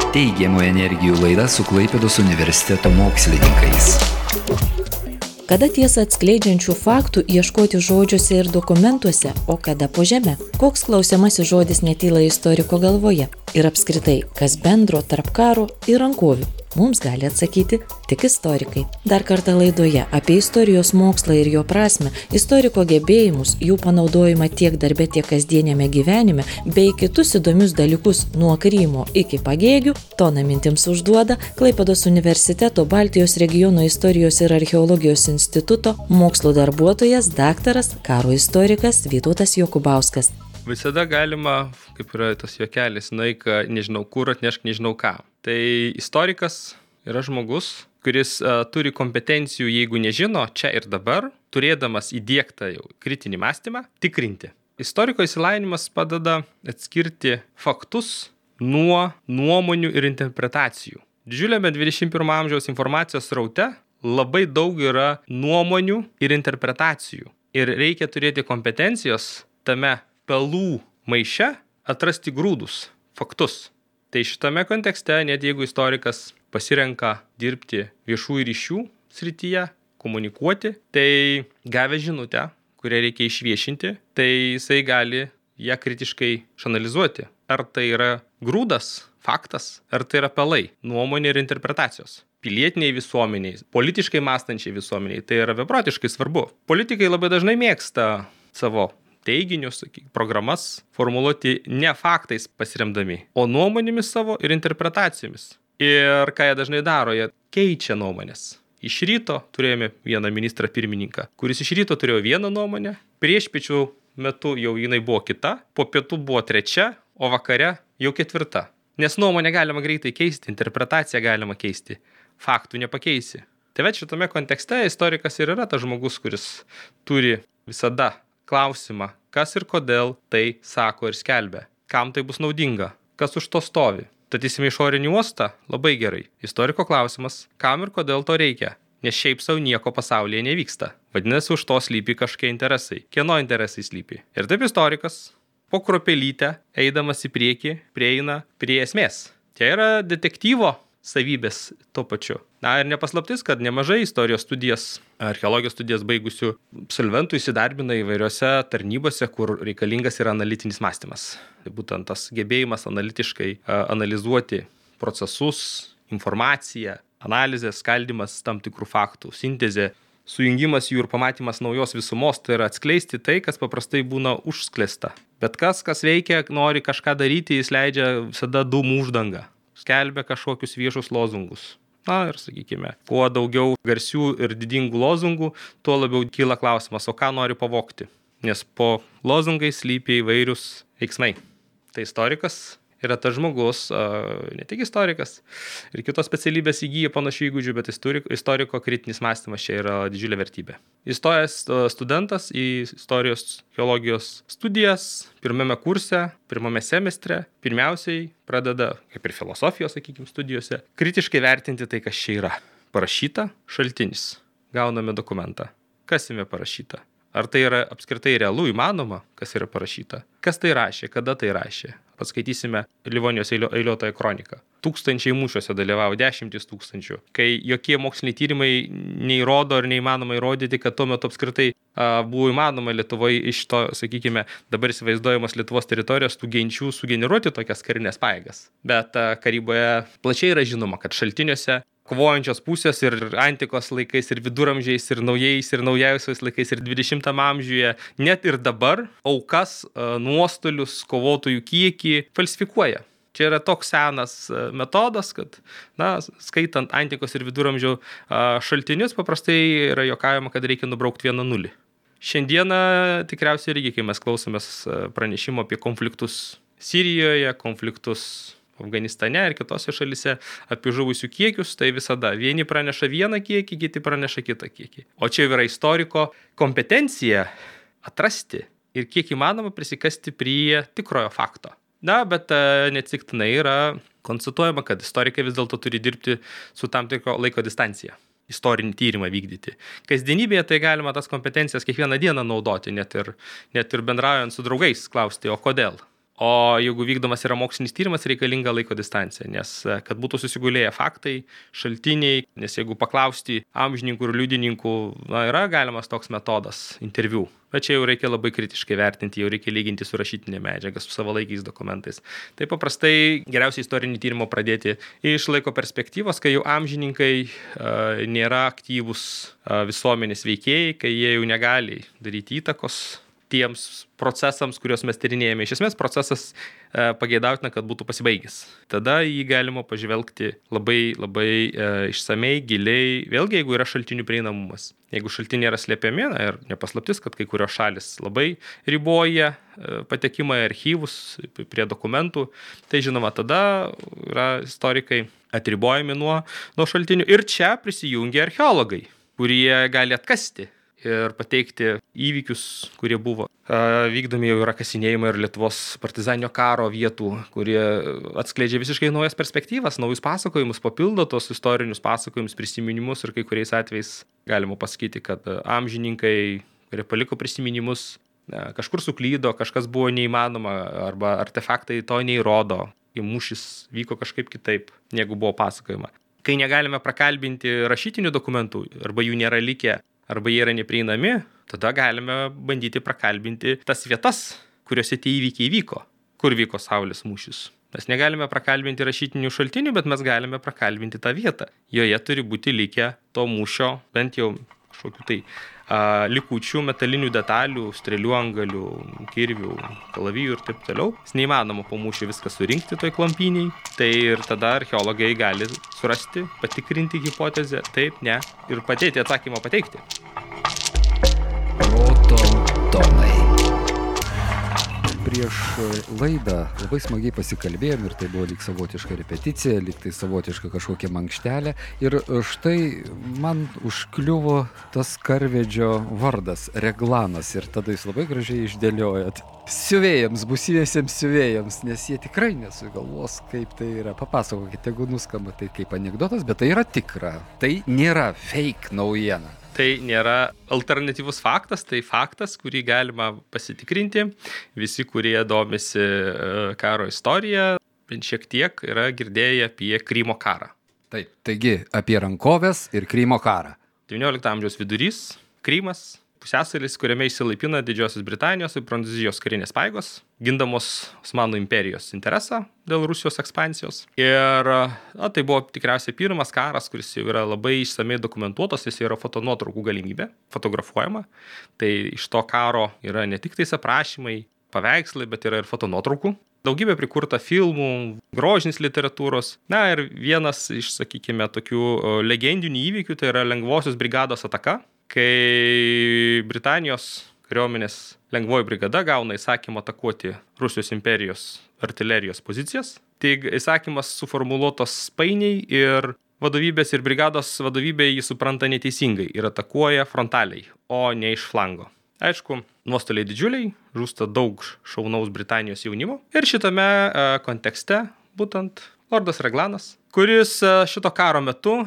Teigiamų energijų laida su Klaipėdos universiteto mokslininkais. Kada tiesą atskleidžiančių faktų ieškoti žodžiuose ir dokumentuose, o kada po žeme? Koks klausiamasis žodis netyla istoriko galvoje? Ir apskritai, kas bendro tarp karo ir rankovių? Mums gali atsakyti tik istorikai. Dar kartą laidoje apie istorijos mokslą ir jo prasmę, istoriko gebėjimus, jų panaudojimą tiek darbe, tiek kasdienėme gyvenime, bei kitus įdomius dalykus nuo Krymo iki Pagėgių, toną mintims užduoda Klaipėdos universiteto Baltijos regiono istorijos ir archeologijos instituto mokslo darbuotojas, daktaras, karo istorikas Vytautas Jokubauskas. Visada galima, kaip yra tas juokelis, nueik nežinau kur, atnešk nežinau ką. Tai istorikas yra žmogus, kuris turi kompetencijų, jeigu nežino, čia ir dabar, turėdamas įdiegtą jau kritinį mąstymą, tikrinti. Istoriko išsilavinimas padeda atskirti faktus nuo nuomonių ir interpretacijų. Didžiuliame 21 amžiaus informacijos sraute labai daug yra nuomonių ir interpretacijų. Ir reikia turėti kompetencijos tame pelų maiše atrasti grūdus, faktus. Tai šitame kontekste, net jeigu istorikas pasirenka dirbti viešųjų ryšių srityje, komunikuoti, tai gavę žinutę, kurią reikia išviešinti, tai jisai gali ją kritiškai išanalizuoti. Ar tai yra grūdas, faktas, ar tai yra pelai, nuomonė ir interpretacijos. Pilietiniai visuomeniai, politiškai mąstančiai visuomeniai, tai yra beprotiškai svarbu. Politikai labai dažnai mėgsta savo teiginius, programas formuluoti ne faktais pasiremdami, o nuomonėmis savo ir interpretacijomis. Ir ką jie dažnai daro, jie keičia nuomonės. Iš ryto turėjome vieną ministrą pirmininką, kuris iš ryto turėjo vieną nuomonę, priešpiečių metu jau jinai buvo kita, po pietų buvo trečia, o vakare jau ketvirta. Nes nuomonę galima greitai keisti, interpretaciją galima keisti, faktų nepakeisi. Tai šitame kontekste istorikas ir yra tas žmogus, kuris turi visada klausimą, kas ir kodėl tai sako ir skelbia, kam tai bus naudinga, kas už to stovi. Statysime išorinį uostą, labai gerai. Istoriko klausimas, kam ir kodėl to reikia, nes šiaip savo nieko pasaulyje nevyksta. Vadinasi, už to slypi kažkokie interesai. Kieno interesai slypi? Ir taip istorikas po kruopelytę, eidamas į priekį, prieina prie esmės. Čia yra detektyvo savybės tuo pačiu. Na ir nepaslaptis, kad nemažai istorijos studijas, archeologijos studijas baigusių absolventų įsidarbina įvairiose tarnybose, kur reikalingas yra analitinis mąstymas. Tai būtent tas gebėjimas analitiškai analizuoti procesus, informaciją, analizė, skaldymas tam tikrų faktų, sintezė, sujungimas jų ir pamatymas naujos visumos, tai yra atskleisti tai, kas paprastai būna užsklesta. Bet kas veikia, nori kažką daryti, jis leidžia visada dūmų uždangą. Skelbia kažkokius viešus lozungus. Na ir sakykime, kuo daugiau garsių ir didingų lozungų, tuo labiau kyla klausimas, o ką nori pavogti. Nes po lozungais slypi įvairius veiksmai. Tai istorikas yra tas žmogus, ne tik istorikas, ir kitos specialybės įgyja panašių įgūdžių, bet istoriko kritinis mąstymas čia yra didžiulė vertybė. Įstojęs studentas į istorijos geologijos studijas pirmame kurse, pirmame semestre, pirmiausiai pradeda, kaip ir filosofijos, studijose, kritiškai vertinti tai, kas čia yra. Parašyta, šaltinis. Gauname dokumentą. Kas jame parašyta? Ar tai yra apskritai realu, įmanoma, kas yra parašyta? Kas tai rašė, kada tai rašė? Paskaitysime Livonijos eiliuotąją kroniką. Tūkstančiai mūšiuose dalyvavo, 10 000. Kai jokie moksliniai tyrimai neįrodo ar neįmanoma įrodyti, kad tuo metu apskritai buvo įmanoma Lietuvoje iš to, sakykime, dabar įsivaizduojamos Lietuvos teritorijos tų genčių sugeneruoti tokias karinės pajėgas. Bet karyboje plačiai yra žinoma, kad šaltiniuose kovojančios pusės ir antikos laikais, ir viduramžiais, ir naujais, ir naujausiais laikais, ir 20 amžiuje, net ir dabar aukas, nuostolius, kovotojų kiekį falsifikuoja. Čia yra toks senas metodas, kad, skaitant antikos ir viduramžių šaltinius, paprastai yra juokaujama, kad reikia nubraukti 1 nulį. Šiandieną tikriausiai irgi, kai mes klausomės pranešimo apie konfliktus Sirijoje, konfliktus Afganistane ir kitose šalise apie žuvusių kiekius, tai visada vieni praneša vieną kiekį, kiti praneša kitą kiekį. O čia yra istoriko kompetencija atrasti ir kiek įmanoma prisikasti prie tikrojo fakto. Na, bet neatsitiktinai yra konstatuojama, kad istorikai vis dėlto turi dirbti su tam tikro laiko distancija. Istorinį tyrimą vykdyti. Kasdienybėje tai galima tas kompetencijas kiekvieną dieną naudoti, net ir bendraujant su draugais, klausti, o kodėl? O jeigu vykdomas yra mokslinis tyrimas, reikalinga laiko distancija, nes kad būtų susigulėję faktai, šaltiniai, nes jeigu paklausti amžininkų ir liudininkų, yra galimas toks metodas interviu. Bet čia jau reikia labai kritiškai vertinti, jau reikia lyginti su rašytinė medžiaga, su savalaikiais dokumentais. Tai paprastai geriausia istorinį tyrimą pradėti iš laiko perspektyvos, kai jau amžininkai nėra aktyvūs visuomenės veikėjai, kai jie jau negali daryti įtakos tiems procesams, kuriuos mes tyrinėjame. Iš esmės procesas pageidautina, kad būtų pasibaigęs. Tada jį galima pažvelgti labai išsamei, giliai, vėlgi jeigu yra šaltinių prieinamumas. Jeigu šaltiniai yra slėpiami, ir nepaslaptis, kad kai kurios šalis labai riboja patekimą į archyvus, prie dokumentų, tai žinoma, tada yra istorikai atribojami nuo šaltinių. Ir čia prisijungia archeologai, kurie gali atkasti ir pateikti įvykius, kurie buvo. Vykdomi jau yra kasinėjimai ir Lietuvos partizaninio karo vietų, kurie atskleidžia visiškai naujas perspektyvas, naujus pasakojimus, papildo tos istorinius pasakojimus, prisiminimus ir kai kuriais atvejais galima pasakyti, kad amžininkai, kurie paliko prisiminimus, kažkur suklydo, kažkas buvo neįmanoma arba artefaktai to neįrodo, mūšis vyko kažkaip kitaip, negu buvo pasakojama. Kai negalime prakalbinti rašytinių dokumentų arba jų nėra likę, arba jie yra neprieinami, tada galime bandyti prakalbinti tas vietas, kuriuose tie įvykiai vyko, kur vyko Saulės mūšis. Mes negalime prakalbinti rašytinių šaltinių, bet mes galime prakalbinti tą vietą. Joje turi būti likę to mūšio, bent jau kažkokių tai likučių, metalinių detalių, strėlių antgalių, kirvių, kalavijų ir taip toliau. Neįmanoma po mūšio viską surinkti toj klampyniai, tai ir tada archeologai gali surasti, patikrinti hipotezę, taip, ne, ir padėti atsakymą pateikti. Proto tomai. Prieš laidą labai smagiai pasikalbėjom ir tai buvo lyg savotiška repeticija, lyg tai savotiška kažkokia mankštelė. Ir štai man užkliuvo tas karvedžio vardas, Reglanas, ir tada jūs labai gražiai išdėliojat. Siuvėjams, būsimiesiems siuvėjams, nes jie tikrai nesugalvos, kaip tai yra. Papasakokite, jeigu nuskamba tai kaip anekdotas, bet tai yra tikra. Tai nėra fake naujiena. Tai nėra alternatyvus faktas, tai faktas, kurį galima pasitikrinti. Visi, kurie domisi karo istoriją, bent šiek tiek yra girdėję apie Krymo karą. Taip, taigi apie rankoves ir Krymo karą. 19 amžiaus vidurys, Krymas, pusiasalis, kuriame įsilaipina Didžiosios Britanijos ir Prancūzijos karinės pajėgos, gindamos Osmanų imperijos interesą dėl Rusijos ekspansijos. Ir tai buvo tikriausiai pirmas karas, kuris jau yra labai išsamei dokumentuotas, jis yra fotonuotraukų galimybė, fotografuojama. Tai iš to karo yra ne tik tais aprašymai, paveikslai, bet yra ir fotonuotraukų. Daugybė prikurta filmų, grožinės literatūros. Na ir vienas iš, sakykime, tokių legendinių įvykių, tai yra Lengvosios brigados ataka, kai Britanijos kariuomenės lengvoji brigada gauna įsakymą atakuoti Rusijos imperijos artilerijos pozicijas. Tai įsakymas suformuluotas painiai ir vadovybės ir brigados vadovybė jį supranta neteisingai ir atakuoja frontaliai, o ne iš flango. Aišku, nuostoliai didžiuliai, žūsta daug šaunaus Britanijos jaunimo. Ir šitame kontekste būtent Lordas Reglanas, kuris šito karo metu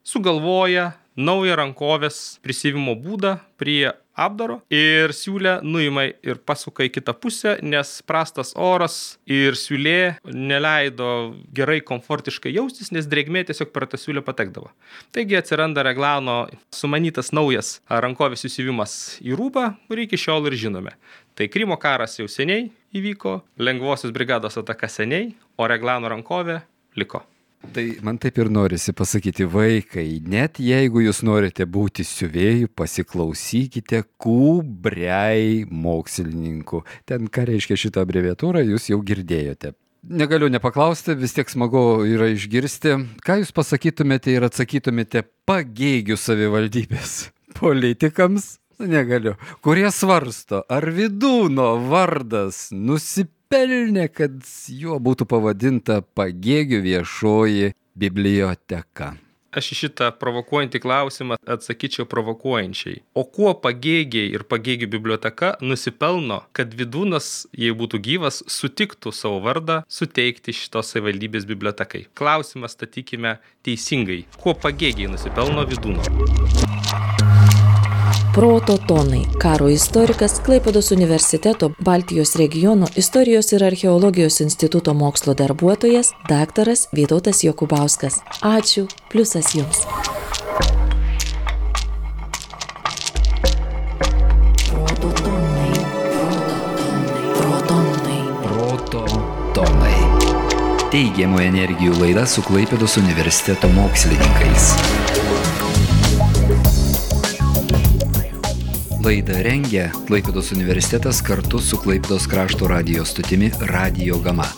sugalvoja naują rankovės prisivimo būdą prie apdaro ir siūlę nuima ir pasuka į kitą pusę, nes prastas oras ir siūlė neleido gerai komfortiškai jaustis, nes drėgmė tiesiog per tą siūlę patekdavo. Taigi atsiranda Reglano sumanytas naujas rankovės susivimas į rūbą, kurį iki šiol ir žinome. Tai Krymo karas jau seniai įvyko, Lengvosios brigados ataka seniai, o Reglano rankovė liko. Tai man taip ir norisi pasakyti, vaikai, net jeigu jūs norite būti siuvėjų, pasiklausykite Kubriai mokslininkų. Ten, ką reiškia šitą abreviatūrą, jūs jau girdėjote. Negaliu nepaklausti, vis tiek smagu yra išgirsti. Ką jūs pasakytumėte ir atsakytumėte Pagėgių savivaldybės politikams? Negaliu. Kurie svarsto, ar Vydūno vardas nusipelnė, kad juo būtų pavadinta Pagėgių viešoji biblioteka. Aš į šitą provokuojantį klausimą atsakyčiau provokuojančiai. O kuo Pagėgiai ir Pagėgių biblioteka nusipelno, kad Vydūnas, jei būtų gyvas, sutiktų savo vardą suteikti šitos savivaldybės bibliotekai? Klausimą statykime teisingai. Kuo Pagėgiai nusipelno Vydūno? Proto tonai. Karo istorikas, Klaipėdos universiteto Baltijos regiono istorijos ir archeologijos instituto mokslo darbuotojas, daktaras Vytautas Jokubauskas. Ačiū, pliusas jums. Teigiamų energijų laida su Klaipėdos universiteto mokslininkais. Laidą rengia Klaipėdos universitetas kartu su Klaipėdos krašto radijo stotimi Radio Gama.